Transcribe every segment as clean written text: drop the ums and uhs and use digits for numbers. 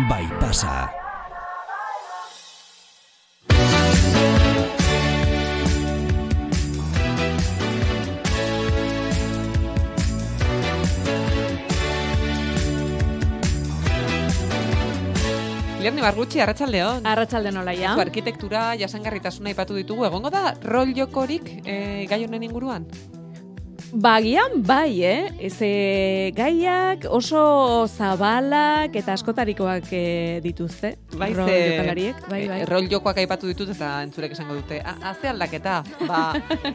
bai pasa. Lerni Bargutxi, arratsaldeon. Arratsaldeon Olaia. Arkitektura, jasangarritasuna aipatu ditugu. Egongo da rol jokorik gai honen inguruan? Bagian bai, gaiak oso zabalak eta askotarikoak dituzte. Bai, rol jokalariek. Bai. Rol jokoak aipatu ditut eta entzulek esango dute. Haze aldaketa.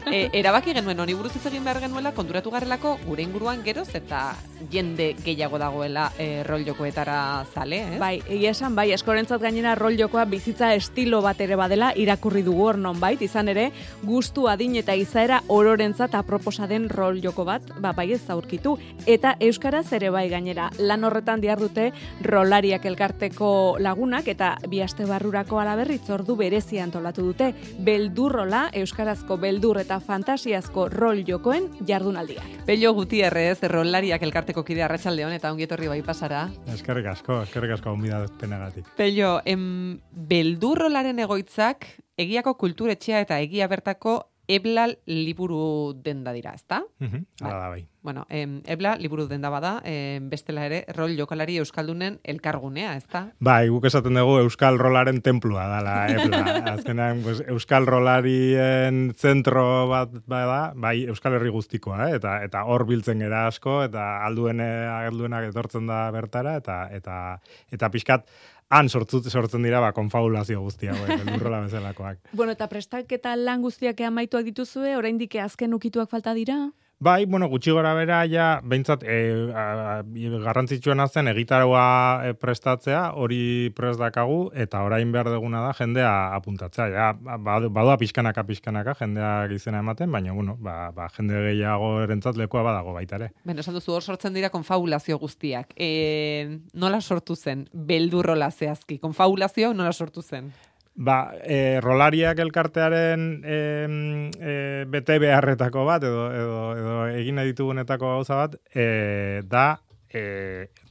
Erabaki genuen honi buruz hitz egin behar genuela, konturatu garrelako gure inguruan geroz eta jende gehiago dagoela rol jokoetara zale, ez? Bai, egia esan, bai, askorentzat gainera rol jokoa bizitza estilo bat ere badela irakurri dugu hor nonbait, izan ere, gustu adin eta izaera ororentzat aproposa den rol joko bat, bai ez aurkitu. Eta euskaraz ere bai gainera, lan horretan dihardute rolariak elkarteko lagunak eta bi aste barrurako alaberritz ordu berezia antolatu dute. Beldurrola, euskarazko beldur eta fantasiazko rol jokoen jardunaldiak. Pello Gutierrez, rolariak elkarteko kide arratsaldeon eta ongi etorri bai pasara. Eskerrik asko gonbidapenagatik. Pello, beldurrolaren egoitzak egiako kulturetxea eta egia bertako Ebla liburu denda dira, ezta? Hala da bai. Bueno, Ebla liburu denda bada, bestela ere rol jokalari euskaldunen elkargunea, ezta? Bai, guk esaten dugu euskal rolaren templua dala Ebla. Azkenean, pues, euskal rolarien zentro bat bada, bai Euskal Herri guztikoa, eta hor biltzen gera asko, eta alduenak etortzen da bertara, eta pixkat, han sortzen dira konfabulazio guztia, beldurrola bezalakoak. Bueno, eta prestaketa lan guztiak amaituak dituzue, oraindik azken ukituak falta dira? Bai, gutxi gora bera, ja, behintzat, garrantzitsuena zen egitaroa prestatzea, hori prest dakagu, eta orain behar duguna da jendea apuntatzea. Ja, badua pixkanaka jendea izena ematen, baina, jende gehiago erentzat lekua badago baita ere. Beno, esan duzu, hor sortzen dira konfabulazio guztiak. Nola sortu zen? Beldurrola zehazki. Konfabulazio nola sortu zen? Rolariak elkartearen bete beharretako bat, edo egin nahi ditugunetako gauza bat, da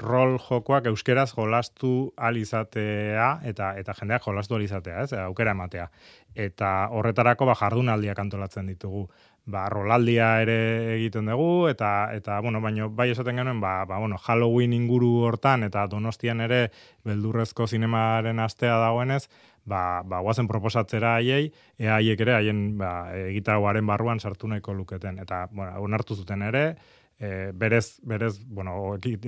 rol jokoak euskeraz jolastu alizatea, eta jendeak jolastu alizatea, aukera ematea. Eta horretarako jardunaldiak antolatzen ditugu. Rolaldia ere egiten dugu, eta baina bai esaten genuen, Halloween inguru hortan, eta Donostian ere beldurrezko zinemaren astea dagoenez, guazen proposatzera haiei, haiek ere haien egitaroaren barruan sartu nahiko luketen. Eta, onartu zuten ere, berez,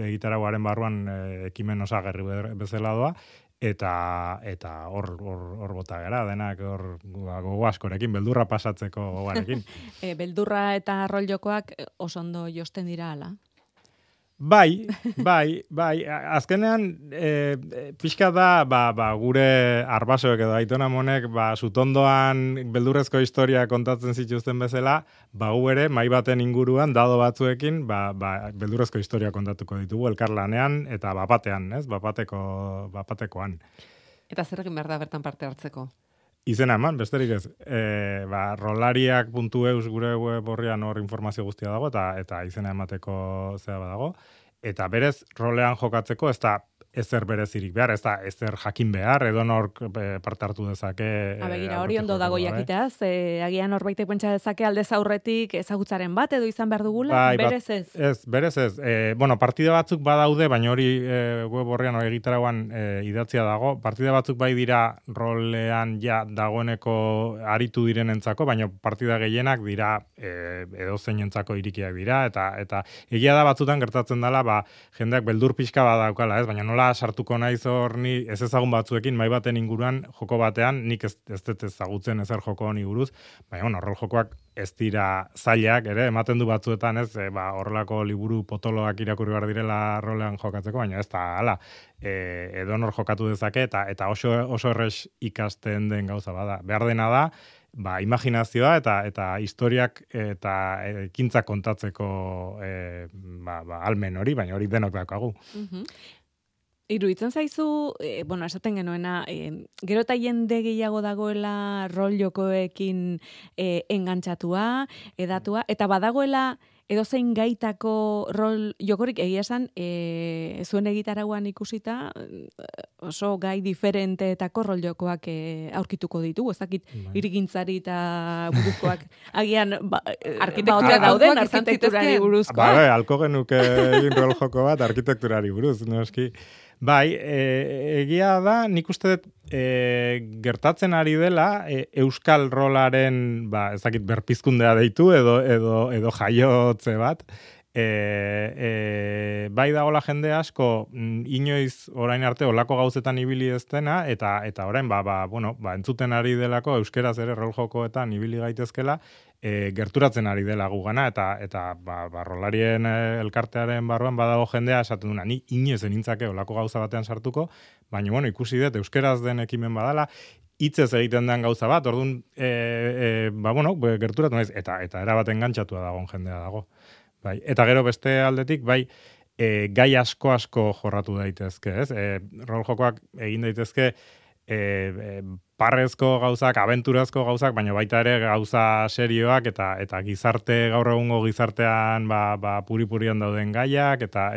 egitaroaren barruan ekimen osagarri bezala doa, eta hor bota gara, denak hor gogo askorekin, beldurra pasatzeko gogoarekin. Beldurra eta rol jokoak oso ondo josten dira ala? Bai, azkenean pixka da gure arbasoek edo Aitona Monek sutondoan beldurrezko historia kontatzen zituzten bezala, gu ere mai baten inguruan dado batzuekin beldurrezko historia kontatuko ditugu elkarlanean eta bapatean, bapatekoan. Eta zer egin behar da bertan parte hartzeko? Izena eman, besterik ez. Rolariak.eus gure web horrian hor informazio guztia dago, eta izena emateko zea badago. Eta berez, rolean jokatzeko, ez da ezer berezirik behar, ez da ezer jakin behar, edo nork parte hartu dezake. Begira, hori ondo dago jakiteaz, agian horbaitek pentsa dezake aldez aurretik ezagutzaren bat, edo izan behar dugula, berez ez? Ez, berez ez. Partida batzuk badaude, baina hori web horrean hori egitaragoan idatzia dago. Partida batzuk bai dira rolean ja dagoeneko aritu direnentzako, baina partida gehienak dira edo zeinentzako irikiak dira, eta egia da batzutan gertatzen dela, jendeak beldur pixka badaukala, ez? Baina nola sartuko naiz hor ni ez ezagun batzuekin mai baten inguruan joko batean nik ez dut ezagutzen ezer joko honi buruz, baina rol jokoak ez dira zailak ere ematen du batzuetan, ez? Horrelako liburu potoloak irakurri behar direla rolean jokatzeko, baina ez da hala. Edonor jokatu dezake eta oso erres ikasten den gauza bada. Behar dena da imaginazioa eta historiak eta ekintzak kontatzeko almen hori, baina hori denok daukagu. Iruditzen zaizu, esaten genuena, gero eta jende gehiago dagoela rol jokoekin engantzatua, edatua, eta badagoela edozein gaitako rol jokorik egia esan, zuen egitarauan ikusita oso gai diferenteetako rol jokoak aurkituko ditugu, ez dakit irigintzari eta buruzkoak agian arkitektura dauden arkitekturari buruzkoak. Bai, alko genuke egin rol joko bat arkitekturari buruz, noski. Bai, egia da, nik uste dut gertatzen ari dela euskal rolaren, ez dakit berpizkundea deitu edo jaiotze bat. Bai dagoela jende asko inoiz orain arte olako gauzetan ibili ez dena eta orain entzuten ari delako euskeraz ere rol jokoetan ibili gaitezkela. Gerturatzen ari dela gugana eta rolarien elkartearen barruan badago jendea esaten duna, ni inoiz enintzake olako gauza batean sartuko, baina ikusi dut euskeraz den ekimen badala, hitzez egiten den gauza bat, orduan gerturatu naiz eta erabaten gantxatua dagoen jendea dago. Bai, eta gero beste aldetik, gai asko jorratu daitezke, ez? Rol jokoak egin daitezke parrezko gauzak, abenturazko gauzak, baina baita ere gauza serioak eta gizarte, gaur egungo gizartean puri-purian dauden gaiak eta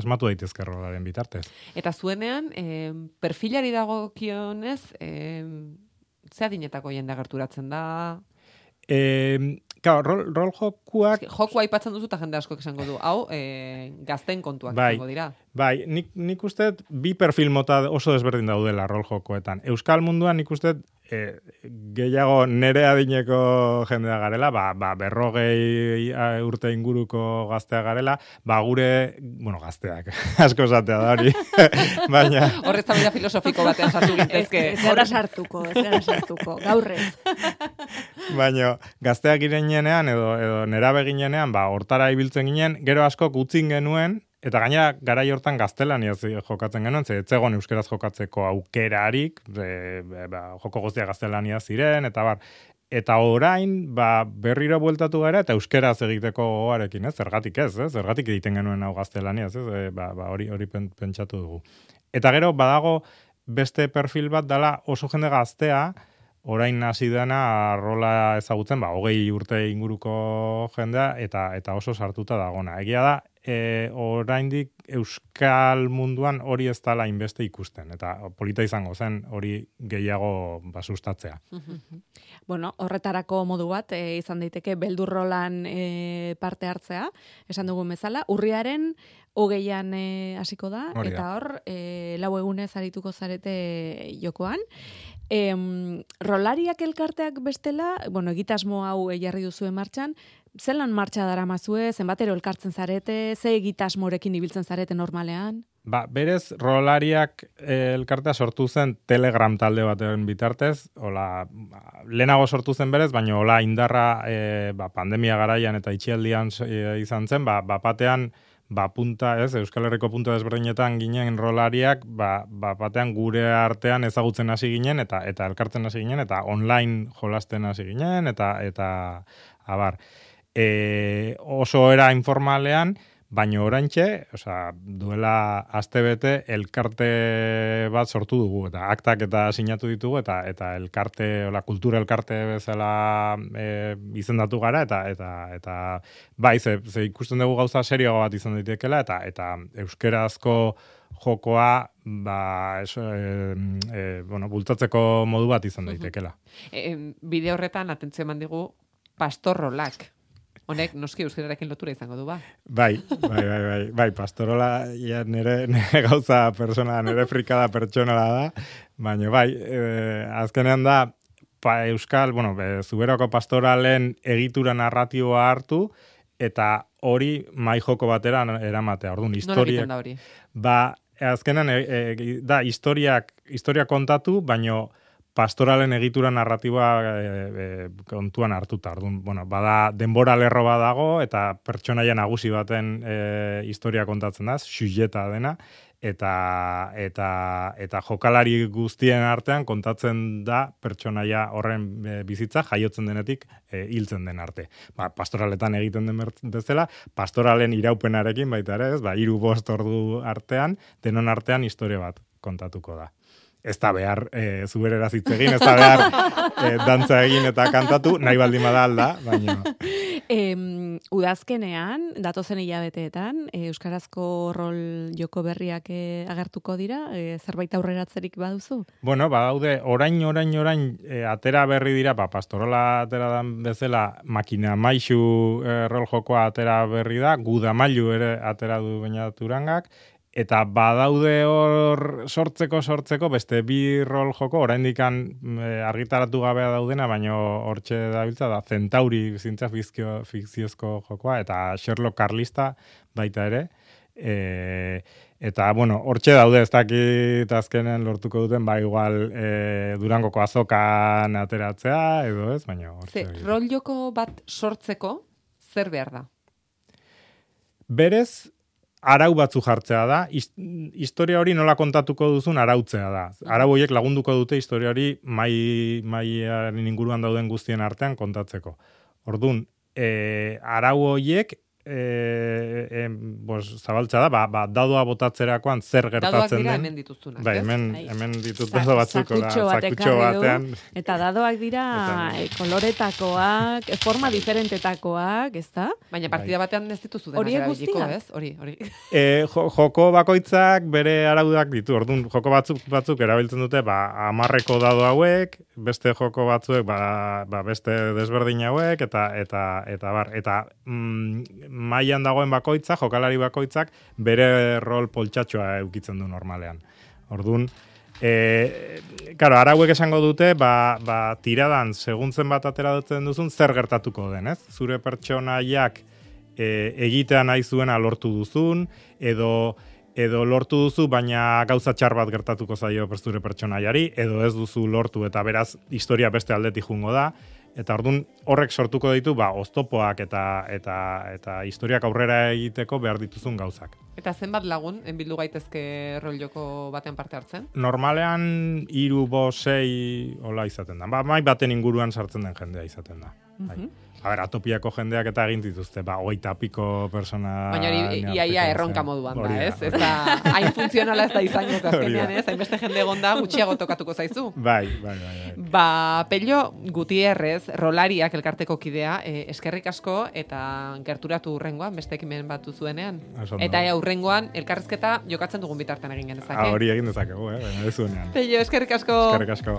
asmatu daitezke rolaren bitartez. Eta zuenean, perfilari dagokionez, ze adinetako jende gerturatzen da? Rol jokuak... Jokua aipatzen duzu eta jende asko esango du. Hau, gazten kontuak izango dira. Bai, nik uste bi perfil mota oso desberdin daudela rol jokoetan. Euskal munduan nik uste gehiago nere adineko jendea garela, 40 urte inguruko gaztea garela, gure, gazteak, asko esatea da hori, baina... Horrez tabela filosofiko batean sartu gintezke. Ez gara sartuko, gaurrez. Baina gazteak ginenean edo nerabe ginenean, hortara ibiltzen ginen, gero asko utzin genuen, eta gainera garai hortan gaztelaniaz jokatzen genuen, ez zegoen euskeraz jokatzeko aukerarik, joko guztia gaztelaniaz ziren, eta orain berriro bueltatu gara eta euskeraz egiteko gogoarekin, zergatik ez, zergatik egiten genuen hau gaztelaniaz, hori pentsatu dugu. Eta gero badago beste perfil bat dela oso jende gaztea, orain hasi dena rola ezagutzen, 20 urte inguruko jendea eta oso sartuta dagona. Egia da, oraindik euskal munduan hori ez dela inbeste ikusten, eta polita izango zen hori gehiago sustatzea. Bueno, horretarako modu bat izan daiteke beldurrolan parte hartzea, esan dugun bezala, urriaren 20an hasiko da, eta hor, 4 egunez arituko zarete jokoan. Rolariak elkarteak bestela, egitasmo hau jarri duzu martxan, zelan martxa daramazue, zenbatero elkartzen zarete, ze egitasmorekin ibiltzen zarete normalean? Berez, rolariak elkartea sortu zen Telegram talde baten bitartez, lehenago sortu zen berez, baina hola indarra pandemia garaian eta itxialdian izan zen, batean punta, Euskal Herriko punta desberdinetan ginen rolariak, batean gure artean ezagutzen hasi ginen, eta elkartzen hasi ginen, eta online jolasten hasi ginen, eta abar. Oso era informalean, baina oraintxe, duela astebete elkarte bat sortu dugu, eta aktak eta sinatu ditugu, eta elkarte, kultura elkarte bezala izendatu gara, eta ze ikusten dugu gauza serioa bat izan daitekela, eta euskerazko jokoa bultatzeko modu bat izan daitekela. Bide horretan, atentzio eman digu, pastorrolak. Honek, noski euskerarekin lotura izango du, ba? Bai, pastorola nire gauza persona, nire frikada pertsonala da, baina azkenean da, euskal, Zuberoko pastoralen egitura narratioa hartu, eta hori mai joko batera eramatea. Orduan, nola egiten da hori? Azkenean, da, historia kontatu, baina pastoralen egitura narratiba kontuan hartuta. Bada denbora lerro badago eta pertsonaia nagusi baten historia kontatzen da, sujeta dena, eta jokalari guztien artean kontatzen da pertsonaia horren bizitza jaiotzen denetik hiltzen den arte. Pastoraletan egiten den bezala, pastoralen iraupenarekin baita ere, 3-5 ordu artean, denon artean historia bat kontatuko da. ez da behar zubereraz hitz egin, ez da behar dantza egin eta kantatu, nahi baldin bada alda, baina... Udazkenean, datozen hilabeteetan, euskarazko rol joko berriak agertuko dira, zerbait aurreratzerik baduzu? Bueno, badaude, orain, atera berri dira, Pastorala atera dan bezala, Makina Maixu rol jokoa atera berri da, Gudamailu ere atera du Beñat Urangak, eta badaude hor sortzeko beste bi rol joko, oraindik argitaratu gabea daudena, baina hortxe dabiltza da Centauri zintza fikziozko jokoa, eta Sherlock Carlista baita ere. Eta, bueno, hortxe daude, ez dakit azkenen lortuko duten, igual Durangoko azokan ateratzea, edo ez, baina hortxe. Rol joko bat sortzeko, zer behar da? Berez, arau batzu jartzea da, historia hori nola kontatuko duzun arautzea da. Arau horiek lagunduko dute historia hori maiaren inguruan dauden guztien artean kontatzeko. Orduan, arau horiek zabaltza da, dadoa botatzerakoan zer gertatzen den. Dadoak dira hemen dituztunak, bai, hemen ditut dado batzuk, zakutxo batean. Eta dadoak dira koloretakoak, forma diferentetakoak, ez da? Baina partida batean ez dituzu denak erabiliko, ez? Hori. Joko bakoitzak bere araudak ditu. Orduan, joko batzuk erabiltzen dute, 10 dado hauek, beste joko batzuek, beste desberdin hauek, eta mailan dagoen bakoitza, jokalari bakoitzak, bere rol poltsatxoa eukitzen du normalean. Orduan, claro, arauek esango dute, tiradan, segun zenbat ateratzen duzun, zer gertatuko den, ez? Zure pertsonaiak egitea nahi zuena lortu duzun, edo lortu duzu, baina gauza txar bat gertatuko zaio zure pertsonaiari, edo ez duzu lortu, eta beraz, historia beste aldetik jungo da, eta orduan horrek sortuko ditu oztopoak eta historiak aurrera egiteko behar dituzun gauzak. Eta zenbat lagun bildu gaitezke rol joko batean parte hartzen? Normalean 3, 5, 6 hola izaten da. Mai baten inguruan sartzen den jendea izaten da. Atopiako jendeak eta egin dituzte, 20 piko persona... Baina hori iaia erronka moduan da, ez? Ez da, hain funtzionala ez da izan ez azkenean, ez? Hainbeste jende egonda gutxiago tokatuko zaizu. Bai. Pello Gutierrez, rolariak elkarteko kidea, eskerrik asko eta gerturatu hurrengoan, beste ekimen bat duzuenean. Eta hurrengoan, elkarrizketa jokatzen dugun bitartan egin genezake. Hori egin dezakegu, baina ez zuenean. Pello, eskerrik asko. Eskerrik asko.